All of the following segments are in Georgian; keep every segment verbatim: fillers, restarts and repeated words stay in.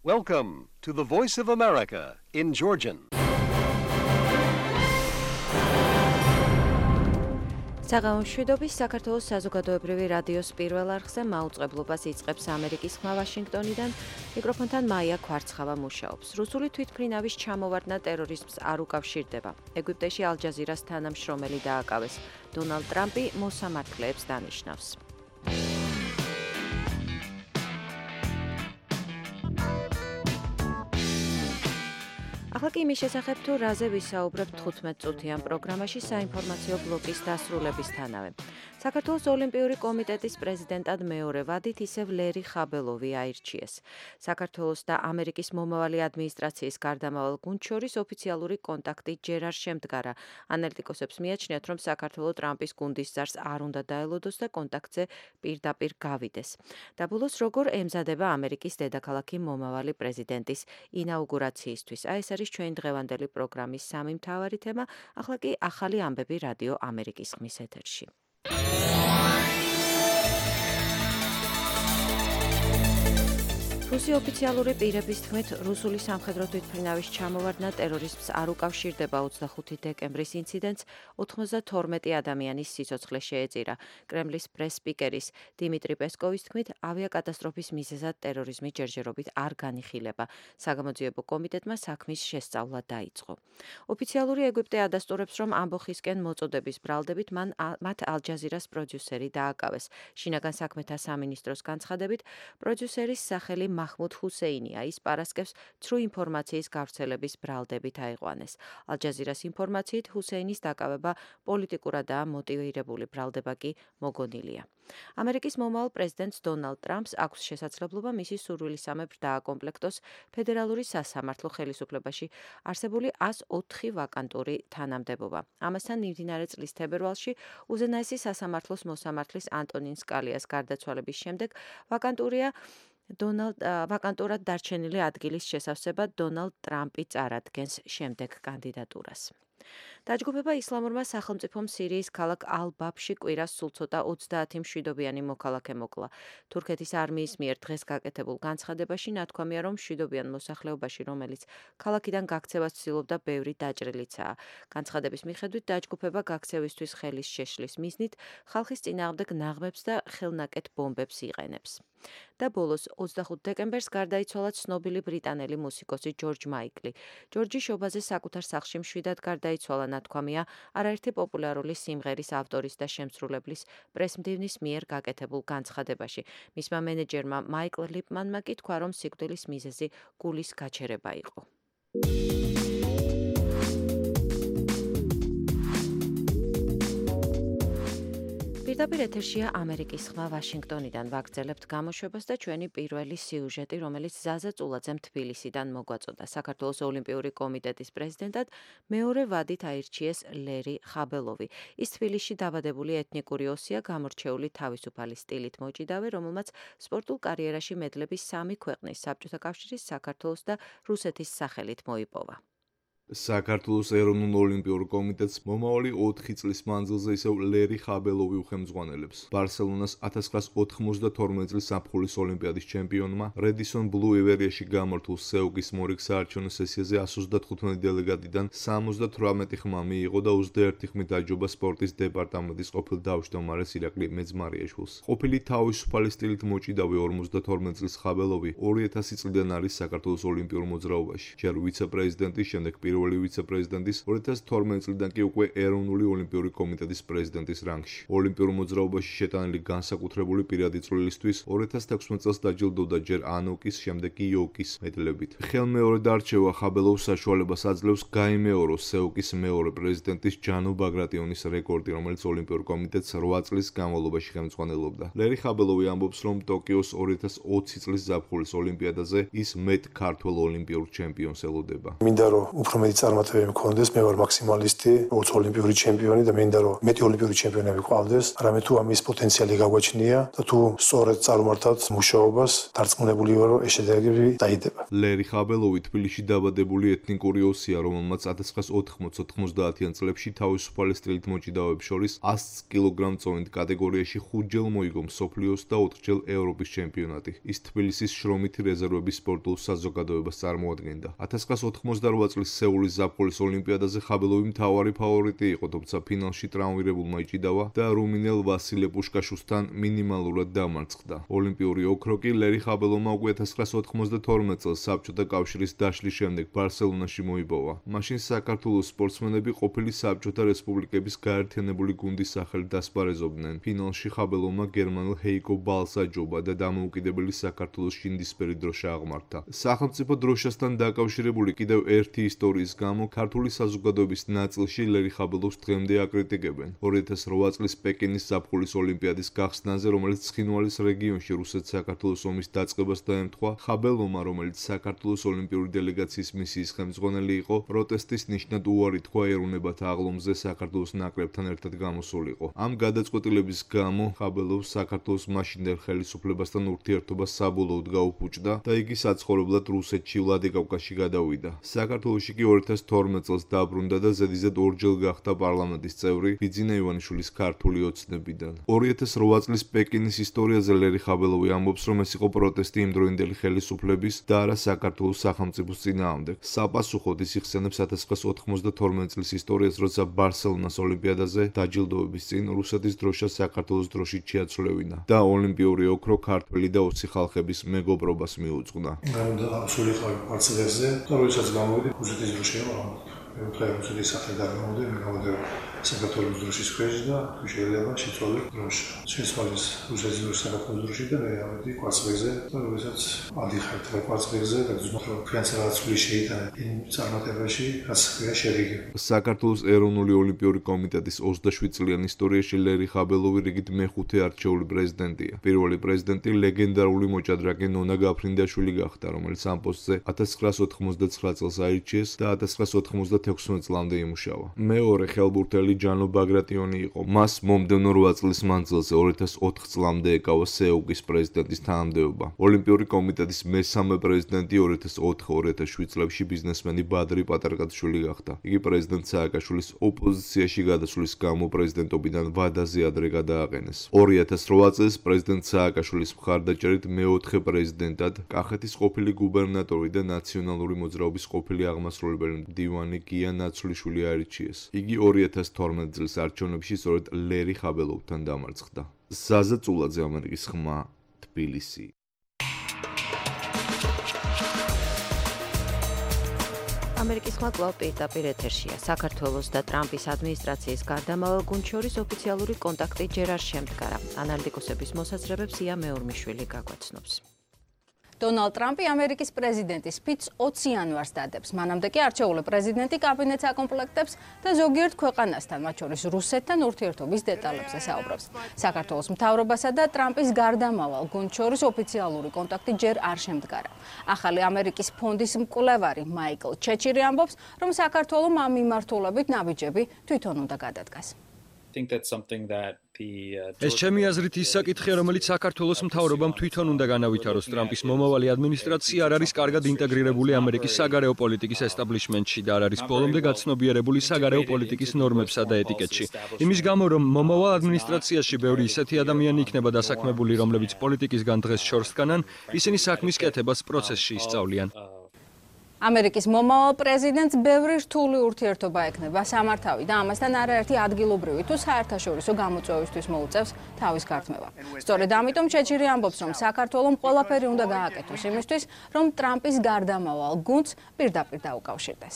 Welcome to the Voice of America in Georgian. საღამოშვიდობის საქართველოს საზოგადოებრივი რადიოს პირველ არხზე მაუწყებლობას იწყებს ამერიკის ხმა ვაშინგტონიდან. მიკროფონთან მაია ქვარცხავა მუშაობს. რუსული თვითმფრინავის ჩამოვარდნა ტერორიზმს არ უკავშირდება. ეგვიპტეში ალ-ჯაზირას თანამშრომელი დააკავეს. დონალდ ტრამპი მოსამართლეებს დანიშნავს. ახლა კი იმის შესახებ თუ რაზე ვისაუბრებთ თხუთმეტ წუთიან პროგრამაში საინფორმაციო ბლოკის დასრულებისთანავე. საქართველოს ოლიმპიური კომიტეტის პრეზიდენტად მეორე ვადით ისევ ლერი ხაბელოვი აირჩიეს. საქართველოს და ამერიკის მომავალი ადმინისტრაციის გარდამავალ გუნდს შორის ოფიციალური კონტაქტი ჯერ არ შემდგარა. ანალიტიკოსებს მიაჩნიათ, რომ საქართველოს ტრამპის გუნდის ზარს არ უნდა დაელოდოს და კონტაქტზე პირდაპირ გავიდეს. და ბოლოს როგორ ემზადება ამერიკის დედაქალაქი მომავალი პრეზიდენტის ინაუგურაციისთვის. აი ეს არის ჩვენ დღევანდელი პროგრამის სამი მთავარი თემა. ახლა კი ახალი ამბები რადიო ამერიკის ხმის ეთერში. რუსი ოფიციალური პირების თქმით, რუსული სამხედრო თვითმფრინავის ჩამოვარდნა ტერორიზმს არ უკავშირდება. ოცდახუთი დეკემბრის ინციდენტს ოცდათორმეტი ადამიანის სიცოცხლე შეეწირა. კრემლის პრეს-სპიკერის დიმიტრი პესკოვის თქმით, ავიაკატასტროფის მიზეზად ტერორიზმი ჯერჯერობით არ განიხილება. საგამოძიებო კომიტეტმა საქმის შესწავლა დაიწყო. ოფიციალური ეგვიპტე ადასტურებს, რომ ამბოხისკენ მოწოდების ბრალდებით მან მათ ალ-ჯაზირას პროდიუსერი დააკავეს. შინაგან საქმეთა სამინისტროს განცხადებით, პროდიუსერის სახელი მაჰმუდ ჰუსეინია. ის პარასკევს ცრუ ინფორმაციის გავრცელების ბრალდებით აიყვანეს. ალ-ჯაზირას ინფორმაციით ჰუსეინის დაკავება პოლიტიკურადაა მოტივირებული, ბრალდება კი მოგონილია. ამერიკის მომავალ პრეზიდენტს დონალდ ტრამპს აქვს შესაძლებლობა მისი სურვილისამებრ დააკომპლექტოს ფედერალური სასამართლო ხელისუფლებაში არსებული ას ოთხი ვაკანტური თანამდებობა. ამასთან მიმდინარე წლის თებერვალში უზენაესი სასამართლოს მოსამართლის ანტონინ სკალიას გარდაცვალების შემდეგ ვაკანტურია დონალდ ვაკანტურად დარჩენილი ადგილის შესავსებად დონალდ ტრამპი წარადგენს შემდეგ კანდიდატურას. დაჯგუფება ისლამურმა სახელმწიფომ სირიის ქალაქ ალ-ბაბში კვირას სულ ცოტა ოცდაათი მშვიდობიანი მოქალაქე მოკლა. თურქეთის არმიის მიერ დღეს გაკეთებულ განცხადებაში ნათქვამია, რომ მშვიდობიან მოსახლეობაში, რომელიც ქალაქიდან გაქცევას ცდილობდა, ბევრი დაჭრილიცაა. განცხადების მიხედვით დაჯგუფება გაქცევისთვის ხელის შეშლის მიზნით ხალხის წინააღმდეგ ნაღმებს და ხელნაკეთ ბომბებს იყენებს. და ბოლოს ოცდახუთი დეკემბერს გარდაიცვალა ცნობილი ბრიტანელი მუსიკოსი ჯორჯ მაიკლი. ჯორჯი შობაზე საკუთარ სახლში მშვიდად გარდაიცვალა, ნათქვამია არაერთი პოპულარული სიმღერის ავტორის და შემსრულებლის პრესმდივნის მიერ გაკეთებულ განცხადებაში. მისმა მენეჯერმა მაიკლ ლიპმანმა კი თქვა, რომ სიკვდილის მიზეზი გულის გაჩერება იყო. პირდაპირ ეთერშია ამერიკის ხმა ვაშინგტონიდან. ვაგრძელებთ გამოშვებას და ჩვენი პირველი სიუჟეტი, რომელიც ზაზა წულაძემ თბილისიდან მოგვაწოდა. საქართველოს ოლიმპიური კომიტეტის პრეზიდენტად მეორე ვადით აირჩიეს ლერი ხაბელოვი. ის თბილისში დაბადებული ეთნიკური ოსია, გამორჩეული თავისუფალი სტილით მოჭიდავე, რომელმაც სპორტულ კარიერაში მედლები სამი ქვეყნის, საბჭოთა კავშირის, საქართველოს და რუსეთის სახელით მოიპოვა. საქართველოს ეროვნულ ოლიმპიურ კომიტეტს მომავალი ოთხი წლის მანძილზე ისევ ლერი ხაბელოვი უხელმძღვანელებს. ბარსელონას ათას ცხრაას ოთხმოცდათორმეტი წლის ზაფხულის ოლიმპიადის ჩემპიონმა რედისონ ბლუ ივერიაში გამართულ სეუგის მორიგ საარჩევნო სესიაზე εκατს ოცდათხუთმეტი დელეგატიდან სამოცდათვრამეტი ხმა მიიღო და ოცდაერთი ხმით დაჯობა სპორტის დეპარტამენტის ყოფილ თავმჯდომარეს ირაკლი მეძმარიაშვილს. ყოფილი თავისუფალი სტილით მოჭიდავე ორმოცდათორმეტი წლის ხაბელოვი ორი ათასი წლიდან არის საქართველოს ოლიმპიურ მოძრაობაში. ჯერ ვიცე-პრეზიდენტის, შემდეგ პირველი ვიცე-პრეზიდენტის, ორი ათას თორმეტი წლიდან კი უკვე ეროვნული ოლიმპიური კომიტეტის პრეზიდენტის რანგში. ოლიმპიურ მოძრაობაში შეტანილი განსაკუთრებული პირადი წვლილისთვის ორი ათას თექვსმეტი წელს დაჯილდოვდა ჯერ ანოკის, შემდეგ კი იოკის მედლებით. ხელმეორედ არჩევა ხაბელოვს საშუალებას აძლევს გაიმეოროს სეუკის მეორე პრეზიდენტის ჯანო ბაგრატიონის რეკორდი, რომელიც ოლიმპიურ კომიტეტს რვა წლის განმავლობაში ხელმძღვანელობდა. ლერი ხაბელოვი ამბობს, რომ ტოკიოს ორი ათას ოცი წლის ზაფხულის ოლიმპიადაზე ის მეტ ქართველ ოლიმპიურ ჩემპიონს ელოდება. მინდა რომ უფრო მეტი წარმატებები მქონდეს, მე ვარ მაქსიმალისტი, როგორც ოლიმპიური ჩემპიონი და მინდა რომ მეტი ოლიმპიური ჩემპიონები გვყავდეს, არამედ თუ ამის პოტენციალი გაგვაჩნია და თუ სწორედ წარმართავთ მუშაობას, დარწმუნებული ვარ რომ ეს შედეგები დაიდება. ლერი ხაბელოვი თბილისში დაბადებული ეთნიკური ოსია, რომელმაც ათას ცხრაას ოთხმოცდაათიან წლებში თავისუფალი სტრილით მოჭიდავეებს შორის ას კილოგრამ წონით კატეგორიაში ხუთჯერ მოიგო მსოფლიოს და ოთხჯერ ევროპის ჩემპიონატი. ის თბილისის შრომითი რეზერვების სპორტულ საზოგადოებას წარმოადგენდა. ათას ცხრაას ოთხმოცდარვა წლის სეულის ზაფხულის ოლიმპიადაზე ხაბელოვი მთავარი ფავორიტი იყო, თუმცა ფინალში ტრავმირებულმა იჭიდავა და რუმინელ ვასილე პუშკაშუსთან მინიმალურად დამარცხდა. ოლიმპიური ოქრო კი ლერი ხაბელოვმა უკვე ათას ცხრაას ოთხმოცდათორმეტ წელს საბჭოთა კავშირის დაშლის შემდეგ ბარსელონაში მოიპოვა. მაშინ საქართველოს სპორტსმენები ყოფილი საბჭოთა რესპუბლიკების გაერთიანებული გუნდის სახელით დასპარეზობდნენ. ფინალში ხაბელოვმა გერმანელ ჰეიკო ბალს აჯობა და დამოუკიდებელი საქართველოს შინდისფერი დროშა აღმართა. სახელმწიფო დროშასთან დაკავშირებული კიდევ ერთი ისტორიის გამო ქართული საზოგადოების ნაწილში ლერი ხაბელოვს დღემდე აკრიტიკებენ. ორი ათას რვა წლის პეკინის ზაფხულის ოლიმპიადის გახსნაზე, რომელიც ცხინვალის რეგიონში რუსეთ-საქართველოს ომის დაწყებას დაემთხვა, ხაბელოვმა, რომელიც საქართველოს ოლიმპიური დელეგაციის მისიის ხელმძღვანელი იყო, პროტესტის ნიშნად უარი თქვა ეროვნებათა აღლომზე საქართველოს ნაკრებთან ერთად გამოსულიყო. ამ გადაწყვეტილების გამო ხაბელოვს საქართველოს მაშინდელ ხელისუფლებასთან ურთიერთობა საბოლოოდ გაუფუჭდა და იგი საცხოვრებლად რუსეთში ვლადიკავკაზში გადავიდა. საქართველოში კი ორი ათას თორმეტ წელს დაბრუნდა და ზედიზედ ორჯერ გახდა პარლამენტის წევრი ბიძინა ივანიშვილის ქართული ოცნებიდან. ორი ათას რვა წლის პეკინის ისტორიაზე ლერი ხაბელოვი ამბობს, რომ ეს იყო პროტესტი იმდროინდელი ხელისუფლების და არა საქართველოს სახელმწიფოს წინააღმდეგ. საპასუხოდ ის იხსენებს ათას ცხრაას ოთხმოცდათორმეტ წლის ისტორიას, როცა ბარსელონას ოლიმპიადაზე დაჯილდოების წინ რუსეთის დროშა საქართველოს დროშით შეაცვლევინა და ოლიმპიური ოქრო ქართველი და ოცი ხალხების მეგობრობას მიუძღვნა. სულიყავი კვარცხლბეკზე და როდესაც გამოვიდი რუსეთის დროშა აღმოჩნდა. მე ვთქვი რუსეთის სახე გამოვიდი, მე გამოვიდი საქართველოს დროშის ქვეშ და თუ შეიძლება შეცვალე დროშა. შეცვალეს რუსეთის დროშა საქართველოს დროშით და მე ავედი კვარცხლბეკზე და როდესაც ადიხარ კვარცხლბეკზე და გზნობ რომ თქვენც რაღაც ფული შეიტანეთ იმ წარმატებაში, რაც ხია შედეგი. საქართველოს ეროვნული ოლიმპიური კომიტეტის ოცდაშვიდ წლიან ისტორიაში ლერი ხაბელოვი რიგით მეხუთე არჩეული პრეზიდენტია. პირველი პრეზიდენტი ლეგენდარული მოჭადრაკე ნონა გაფრინდაშვილი გახდა, რომელიც ამ პოსტზე ათას ცხრაას ოთხმოცდაცხრა წელს აირჩიეს და ათას ცხრაას ოთხმოცდათექვსმეტ წლამდე იმუშავა. მეორე ხელბურთელი ჯანო ბაგრატიონი იყო. მას მომდევნო რვა წლის მანძილზე ორი ათას ოთხ წლამდე ეკავა სეუგის პრეზიდენტის თანამდებობა. ოლიმპიური კომიტეტის მესამე პრეზიდენტი ორი ათას ოთხ ორი ათას შვიდ წლებში ბიზნესმენი ბადრი პატარკაშვილი გახდა. იგი პრეზიდენტ სააკაშვილის ოპოზიციაში გადასვლის გამო პრეზიდენტობიდან ვადაზე ადრე გადააყენეს. ორი ათას რვა წელს პრეზიდენტ სააკაშვილის მხარდაჭერით მეოთხე პრეზიდენტად კახეთის ყოფილი გუბერნატორი და ნაციონალური მოძრაობის ყოფილი აღმასრულებელი მდივანი გია ნაცვლიშვილი აირჩიეს. იგი ორი ათას თორმეტ წლის არჩევნებში სწორედ ლერი ხაბელოვთან დამარცხდა. ზაზა წულაძე, ამერიკის ხმა, თბილისი. ამერიკის ხმა კვლავ პირდაპირ ეთერშია. საქართველოს და ტრამპის ადმინისტრაციის გარდამავალ გუნდს შორის ოფიციალური კონტაქტი ჯერ არ შემდგარა. ანალიტიკოსების მოსაზრებებს ია მეურმიშვილი გაგვაცნობს. დონალდ ტრამპი ამერიკის პრეზიდენტის ფიცს ოცი იანვარს დადებს. მანამდე კი არჩეული პრეზიდენტი კაბინეტს აკომპლექტებს და ზოგიერთ ქვეყანასთან, მათ შორის რუსეთთან ურთიერთობის დეტალებზე საუბრობს. საქართველოს მთავრობასა და ტრამპის გარდამავალ გუნდს შორის ოფიციალური კონტაქტი ჯერ არ შემდგარა. ახალი ამერიკის ფონდის მკვლევარი მაიკლ ჩეჩირი ამბობს, რომ საქართველოს ამ მიმართულებით ნაბიჯები თვითონ უნდა გადადგას. ეს ჩემი აზრით ის საკითხია, რომელიც საქართველოს მთავრობამ თვითონ უნდა განავითაროს. ტრამპის მომავალი ადმინისტრაცია არ არის კარგად ინტეგრირებული ამერიკის საგარეო პოლიტიკის ესტაბლიშმენტში და არ არის ბოლომდე გაცნობიერებული საგარეო პოლიტიკის ნორმებსა და ეტიკეტში. იმის გამო, რომ მომავალ ადმინისტრაციაში ბევრი ისეთი ადამიანი იქნება დასაქმებული, რომლებიც პოლიტიკისგან დღეს შორს დგანან, ისინი საქმის კეთებას პროცესში ისწავლიან. ამერიკის მომავალ პრეზიდენტს ბევრი რთული ურთიერთობა ექნება სამართავი და ამასთან არაერთი ადგილობრივი თუ საერთაშორისო გამოწვევისთვის მოუწევს თავის გართმევა. სწორედ ამიტომ ჩეჩირი ამბობს, რომ საქართველოს ყველაფერი უნდა გააკეთოს იმისთვის, რომ ტრამპის გარდამავალ გუნდს პირდაპირ დაუკავშირდეს.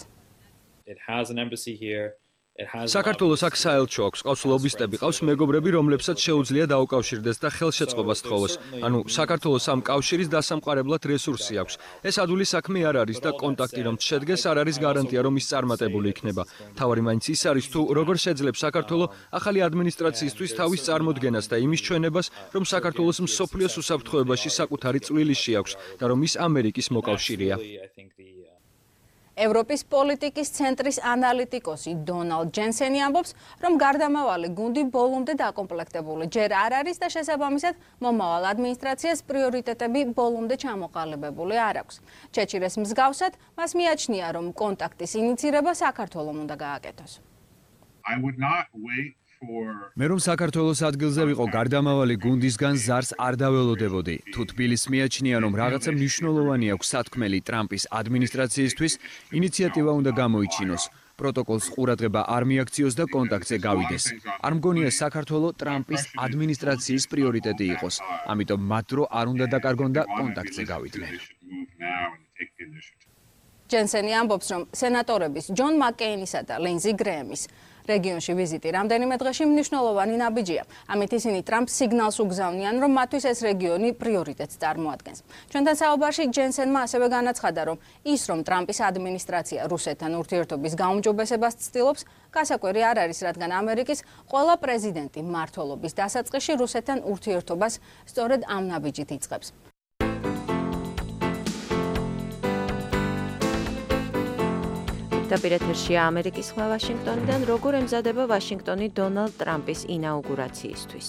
საქართველოს აქ საელჩო აქვს, ყავს ლობისტები, ყავს მეგობრები, რომლებსაც შეუძლია დაუკავშირდეს და ხელშეწყობას თხოვოს. ანუ საქართველოს ამ კავშირის დასამყარებლად რესურსი აქვს. ეს ადვილი საქმე არ არის და კონტაქტი რომ შედგეს, არ არის გარანტია, რომ ის წარმატებული იქნება. თავარი მაინც ის არის, თუ როგორ შეძლებს საქართველოს ახალი ადმინისტრაციისთვის თავის წარმოდგენას და იმის ჩვენებას, რომ საქართველოს მსოფლიოს უსაფრთხოებაში საკუთარი წვლილი შეაქვს და რომ ის ამერიკის მოკავშირეა. ევროპის პოლიტიკის ცენტრის ანალიტიკოსი დონალდ ჯენსენი ამბობს, რომ გარდამავალი გუნდი ბოლომდე დაკომპლექტებული ჯერ არ არის და შესაბამისად მომავალ ადმინისტრაციას პრიორიტეტები ბოლომდე ჩამოყალიბებული არ აქვს. ჩეჩილეს მსგავსად, მას მიაჩნია, რომ კონტაქტის ინიცირება საქართველომ უნდა გააკეთოს. I would not wait მე რომ საქართველოს ადგილზე ვიყო გარდამავალი გუნდისგან ზარს არ დაველოდებოდი. თუ თბილისს მიაჩნია, რომ რაღაცა მნიშვნელოვანი აქვს სათქმელი ტრამპის ადმინისტრაციისთვის, ინიციატივა უნდა გამოიჩინოს. პროტოკოლს ყურადღება არ მიაქციოს და კონტაქტზე გავიდეს. არ მგონია საქართველო ტრამპის ადმინისტრაციის პრიორიტეტი იყოს. ამიტომ მათ დრო არ უნდა დაკარგონ და კონტაქტზე გავიდნენ. ჯენსენი ამბობს, რომ სენატორების ჯონ მაკკეინისა და ლინზი გრეემის რეგიონში ვიზიტი რამდენიმე დღეში მნიშვნელოვანი ნაბიჯია. ამით ისინი ტრამპს სიგნალს უგზავნიან, რომ მათთვის ეს რეგიონი პრიორიტეტს წარმოადგენს. ჩვენთან საუბარში ჯენსენმა ასევე განაცხადა, რომ ის, რომ ტრამპის ადმინისტრაცია რუსეთთან ურთიერთობის გაუმჯობესებას ცდილობს, გასაკვირი არ არის, რადგან ამერიკის ყველა პრეზიდენტი მმართველობის დასაწყისში რუსეთთან ურთიერთობას სწორედ ამ ნაბიჯით იწყებს. დაპირეთერშია ამერიკის ხმა ვაშინგტონიდან, როგორ ემზადება ვაშინგტონი დონალდ ტრამპის ინაუგურაციისთვის.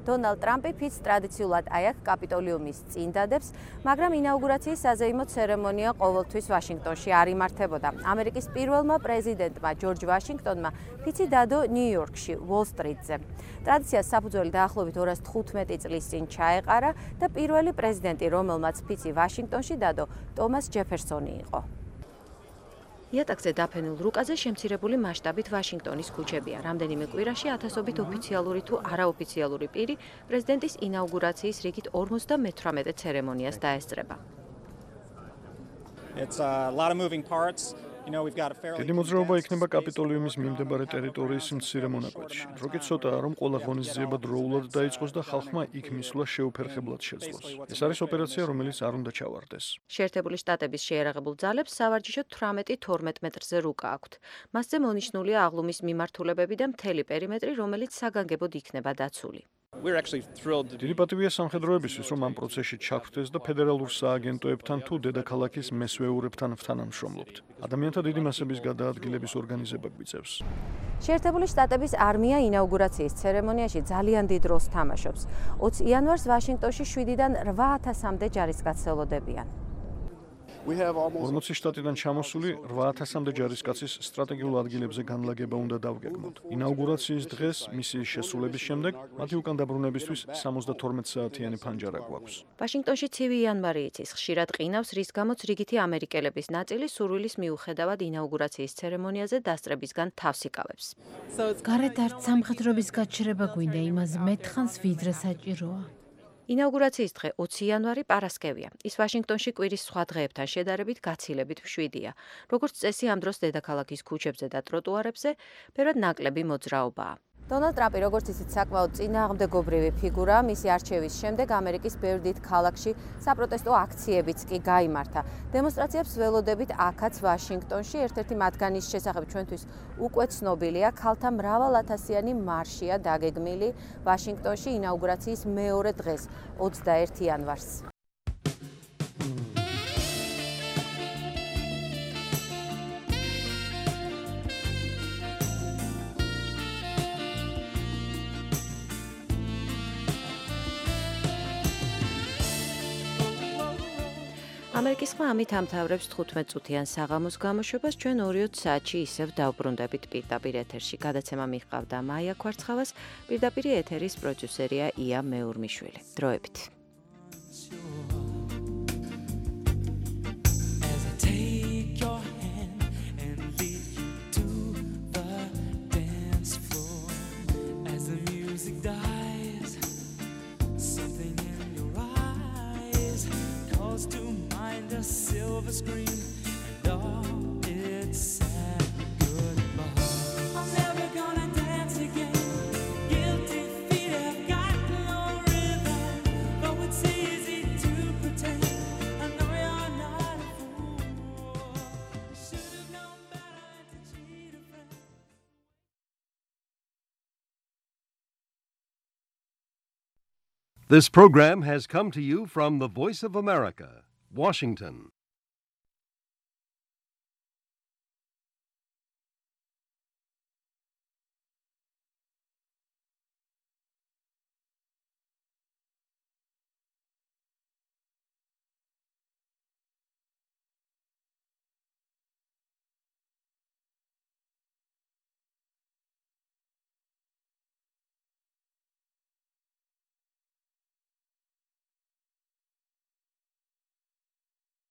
დონალდ ტრამპი ფიცს ტრადიციულად აი აქ კაპიტოლიუმის წინ დადებს, მაგრამ ინაუგურაციის საზეიმო ცერემონია ყოველთვის ვაშინგტონში არ იმართებოდა. ამერიკის პირველმა პრეზიდენტმა ჯორჯ ვაშინგტონმა ფიცი დადო ნიუ-იორკში, უოლ-სტრიტზე. ტრადიციას საფუძველი დაახლოებით ორას თხუთმეტი წლის წინ ჩაეყარა და პირველი პრეზიდენტი, რომელმაც ფიცი ვაშინგტონში დადო, ტომას ჯეფერსონი იყო. იატაკზე დაფენულ რუკაზე შემცირებული მასშტაბით ვაშინგტონის ქუჩებია. რამდენიმე კვირაში ათასობით ოფიციალური თუ არაოფიციალური პირი პრეზიდენტის ინაუგურაციის რიგით ორმოცდამეთვრამეტე ცერემონიას დაესწრება. დიდი მოძრაობა იქნება კაპიტოლიუმის მიმდებარე ტერიტორიის მცირე მონაკვეთში. დროგი ცოტაა, რომ ყველა ღონისძიება დროულად დაიწყოს და ხალხმა იქ მისვლა შეუფერხებლად შეძლოს. ეს არის ოპერაცია, რომელიც არ უნდა ჩავარდეს. შეერთებული შტატების შეიარაღებულ ძალებს სავარჯიშოდ თვრამეტი თორმეტ მეტრზე რუკა აქვთ. მასზე მონიშნულია აღლუმის მიმართულებები და მთელი პერიმეტრი, რომელიც საგანგებოდ იქნება დაცული. დიდი პატივია სამხედროებისთვის, რომ ამ პროცესში ჩაგვხდეს და ფედერალურ სააგენტოებთან თუ დედაქალაქის მესვეურებთან ვთანამშრომლობთ. ადამიანთა დიდი მასების გადაადგილების ორგანიზება გვიწევს. შეერთებული შტატების არმია ინაუგურაციის ცერემონიაში ძალიან დიდ როლს თამაშობს. ოცი იანვარს ვაშინგტონში შვიდიდან რვა ათასამდე ჯარისკაცს ელოდებიან. ორმოცი შტატიდან ჩამოსული რვა ათასამდე ჯარისკაცის სტრატეგიულ ადგილებზე განლაგება უნდა დავგეგმოთ. ინაუგურაციის დღეს მისიის შესრულების შემდეგ მათი უკან დაბრუნებისთვის სამოცდათორმეტ საათიანი ფანჯარა გვაქვს. ვაშინგტონში ცივი იანვარი იცის, ხშირად ყინავს, რის გამოც რიგითი ამერიკელების ნაწილი სურვილის მიუხედავად ინაუგურაციის ცერემონიაზე დასწრებისგან თავს იკავებს. გარეთ არც სამხედროების გაჩერება გვინდა, იმას მეტხანს ვიდრე საჭიროა. ინაუგურაციის დღე ოცი იანვარი პარასკევია. ის ვაშინგტონში კვირის სხვა დღეებთან შედარებით გაცილებით მშვიდია. როგორც წესი, ამ დროს დედაქალაქის ქუჩებზე და ტროტუარებზე ბევრად ნაკლები მოძრაობაა. დონალდ ტრამპი, როგორც ისიც საკმაოდ წინააღმდეგობრივი ფიგურა, მისი არჩევის შემდეგ ამერიკის ბევრ დიდ ქალაქში საპროტესტო აქციებიც კი გაიმართა. დემონსტრაციებს ველოდებით აქაც ვაშინგტონში, ერთ-ერთი მათგანის შესახებ ჩვენთვის უკვე ცნობილია, ქალთა მრავალათასიანი მარშია დაგეგმილი ვაშინგტონში ინაუგურაციის მეორე დღეს, ოცდაერთი იანვარს. ამერიკის ხმა ამით ამთავრებს თხუთმეტ წუთიან საღამოს გამოშვებას. ჩვენ ორი საათში ისევ დავბრუნდებით პირდაპირ ეთერში. გადაცემა მიჰყავდა მაია ქვარცხავას, პირდაპირ ეთერის პროდიუსერია ია მეურმიშვილი. დროებით. Silver screen and all its sad goodbye. I'm never gonna dance again. Guilty feet have got no rhythm, though it's easy to pretend. I know you're not a fool. Should have known better to cheat a friend. This program has come to you from the Voice of America, Washington.